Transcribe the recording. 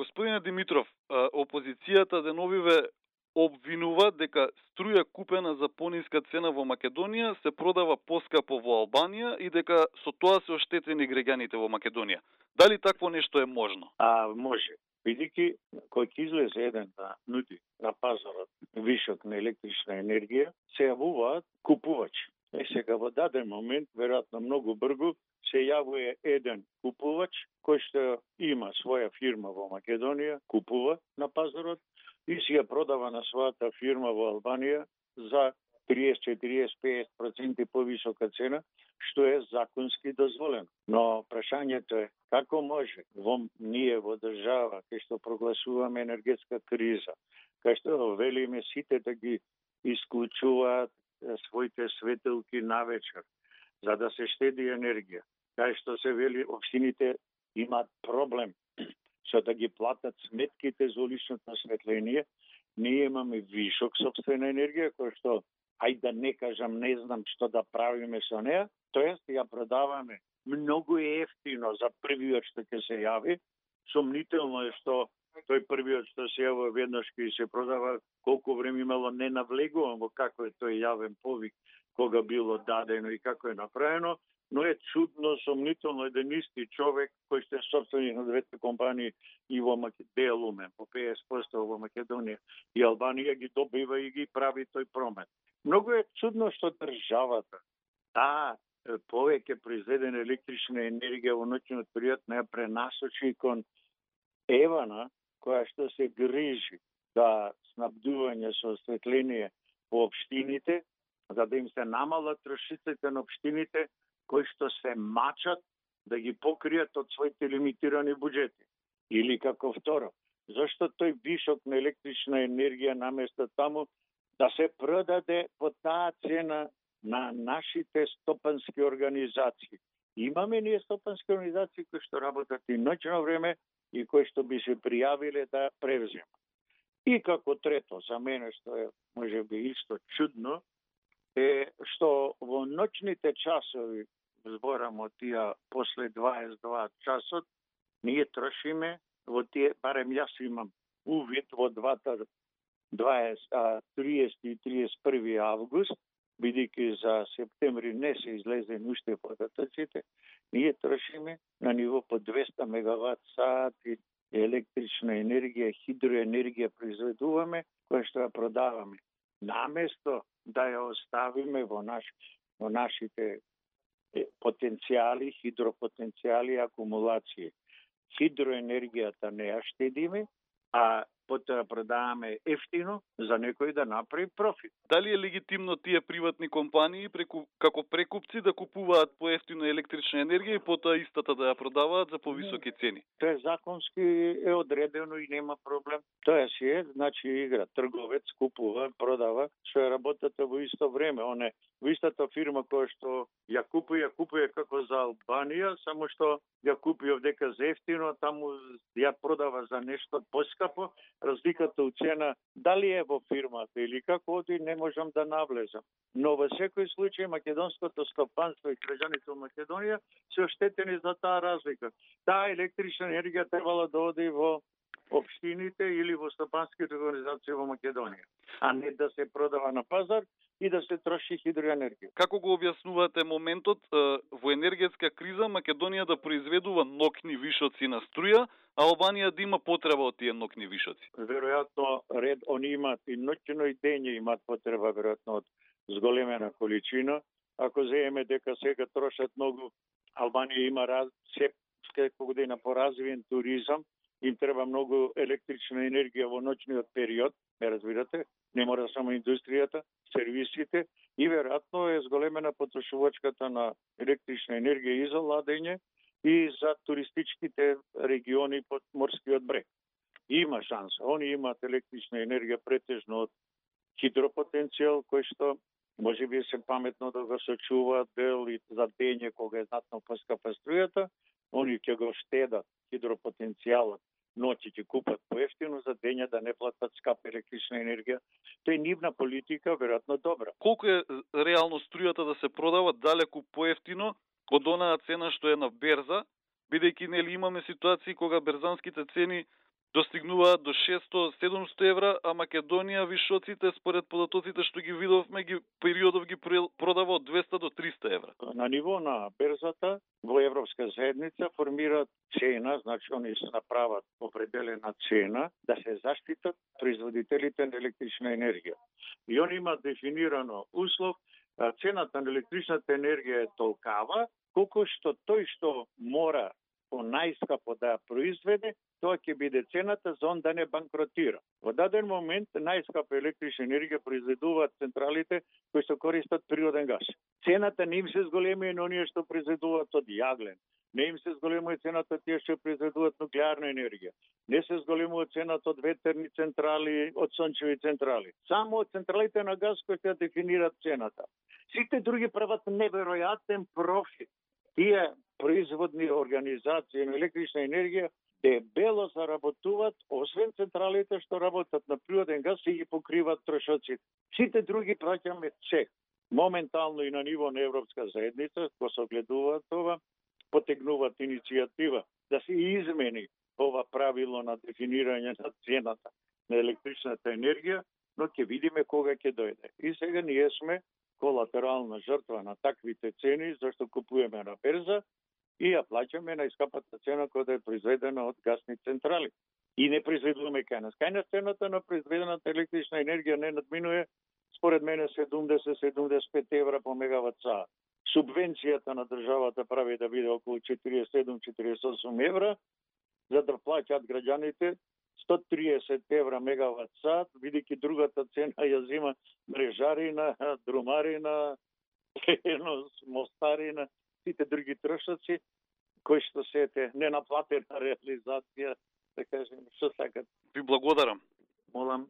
Господине Димитров, опозицијата деновиве обвинува дека струја купена за пониска цена во Македонија се продава поскапо во Албанија и дека со тоа се оштетени граѓаните во Македонија. Дали такво нешто е можно? Може. Бидејќи кој ќе излезе еден да нуди на пазарот вишок на електрична енергија, се јавуваат купувачи. Сега во даден момент, веројатно многу брзо, се јавува еден купувач кој што има своја фирма во Македонија, купува на пазарот и си ја продава на својата фирма во Албанија за 30, 40, 50% повисока цена, што е законски дозволено. Но прашањето е како може ние во држава кај што прогласуваме енергетска криза, кај што велиме сите да ги исклучуваат своите светилки навечер, за да се штеди енергија. Кај што се вели општините имаат проблем со да ги платат сметките за уличното осветление, ние имаме вишок сопствена енергија, која што, ајде да не кажам, не знам што да правиме со неа, тоест ја продаваме многу ефтино за првиот што ќе се јави. Сомнително е што тој првиот што се јавува веднаш ќе се продава, колку време имало не навлегувам во како е тој јавен повик, кога било дадено и како е направено, но е чудно, сомнително еден исти човек кој што е собственик на двете компании и во Делумен по 50% во Македонија и Албанија ги добива и ги прави тој промет. Многу е чудно што државата повеќе произведена електрична енергија во ноќниот период не ја пренасочи кон Евана, која што се грижи да снабдување со осветление по општините, за да им се намалат трошиците на општините кои што се мачат да ги покријат од своите лимитирани буџети. Или како второ, зашто тој вишок на електрична енергија наместо таму да се продаде по таа цена на нашите стопански организации. Имаме ние стопански организации кои што работат и ноќно време и кои што би се пријавиле да превземат. И како трето, за мене што е можеби исто чудно, е што во ноќните часови, зборам од тие после 22 часот, ние трошиме во тие, барем јас имам увид во двата 30 и 31 август, бидејќи за септември не се излезени уште податоците, ние трошиме на ниво по 200 мегават сати електрична енергија, хидроенергија произведуваме, која што ја продаваме. Наместо да ја оставиме во нашите потенцијали, хидропотенцијали и акумулации. Хидроенергијата не ја штедиме, а потоа продаваме ефтино за некој да направи профит. Дали е легитимно тие приватни компании како прекупци да купуваат поевтино електрична енергија и потоа истата да ја продаваат за повисоки цени? Тоа законски е одредено и нема проблем. Тоа си е, значи игра. Трговец купува, продава, што е работата во исто време. Во истата фирма која што ја купува како за Албанија, само што ја купи овдека за ефтино, таму ја продава за нешто поскапо. Разликата у цена, дали е во фирмата или како оди, не можам да навлезам. Но во секој случај македонското стопанство и граѓаните во Македонија се оштетени за таа разлика. Таа електрична енергија требала да оди во општините или во стопанските организации во Македонија, а не да се продава на пазар и да се троши хидроенергија. Како го објаснувате моментот во енергетска криза Македонија да произведува ноќни вишоци на струја, а Албанија да има потреба од тие ноќни вишоци? Веројатно они имаат и ноќно и дење имаат потреба веројатно од зголемена количина. Ако земеме дека сега трошат многу, Албанија има секоја година поразвиен туризам, им треба многу електрична енергија во ноќниот период, ме разбирате, не мора само индустријата, сервисите и веројатно е зголемена потрошувачката на електрична енергија и за ладење и за туристичките региони под морскиот брег. Има шанса. Они имаат електрична енергија претежно од хидропотенцијал, кој што може би се паметно да го сочуваат дел и за дење кога е знатно поскапа струјата, они ќе го штедат хидропотенцијалот, ноќи ќе купат поевтино за дење да не платат скапа електрична енергија. Тоа е нивна политика, веројатно добра. Колку е реално струјата да се продава далеку поевтино од онаа цена што е на берза, бидејќи нели имаме ситуации кога берзанските цени достигнуваат до 600-700 евра, а Македонија вишоците според податоците што ги видовме периодов ги продава од 200 до 300 евра. На ниво на берзата во Европска заедница формираат цена, значи они се направат определена цена да се заштитат производителите на електрична енергија. И они имаат дефинирано услов, цената на електричната енергија е толкава колку што тој што мора по најскапо да ја произведе, тоа ќе биде цената за он да не банкротира. Во даден момент најскапа електрична енергија произведуваат централите кои се користат природен газ. Цената не им се зголеми на оние што произведуваат од јаглен. Не им се зголемува цената тие што произведуваат нуклеарна енергија. Не се зголемува цената од ветерни централи, од сончеви централи. Само од централите на газ кои ќе дефинираат цената. Сите други прават неверојатен профит. Тие производни организации на електрична енергија дебело заработуваат, освен централите што работат на природен газ и ги покриват трошоците. Сите други праќаме цех. Моментално и на ниво на Европска заедница, кога се огледуваат това, потегнуваат иницијатива да се измени ова правило на дефинирање на цената на електричната енергија, но ќе видиме кога ќе дојде. И сега ние сме колатерална жртва на таквите цени, зашто купуваме на берза и ја плаќаме на искапата цена која е произведена од гасни централи. И не произведуваме кај нас. Кај нас цената на произведената електрична енергија не надминува, според мене, 70-75 евра по мегават саат. Субвенцијата на државата прави да биде околу 47-48 евра, за да плаќаат граѓаните 130 евра мегават саат, бидејќи другата цена ја зима мрежарина, друмарина, мостарина, сите други трошоци, кои што се ненаплатена реализација, да кажем, што сакат. Ви благодарам. Молам.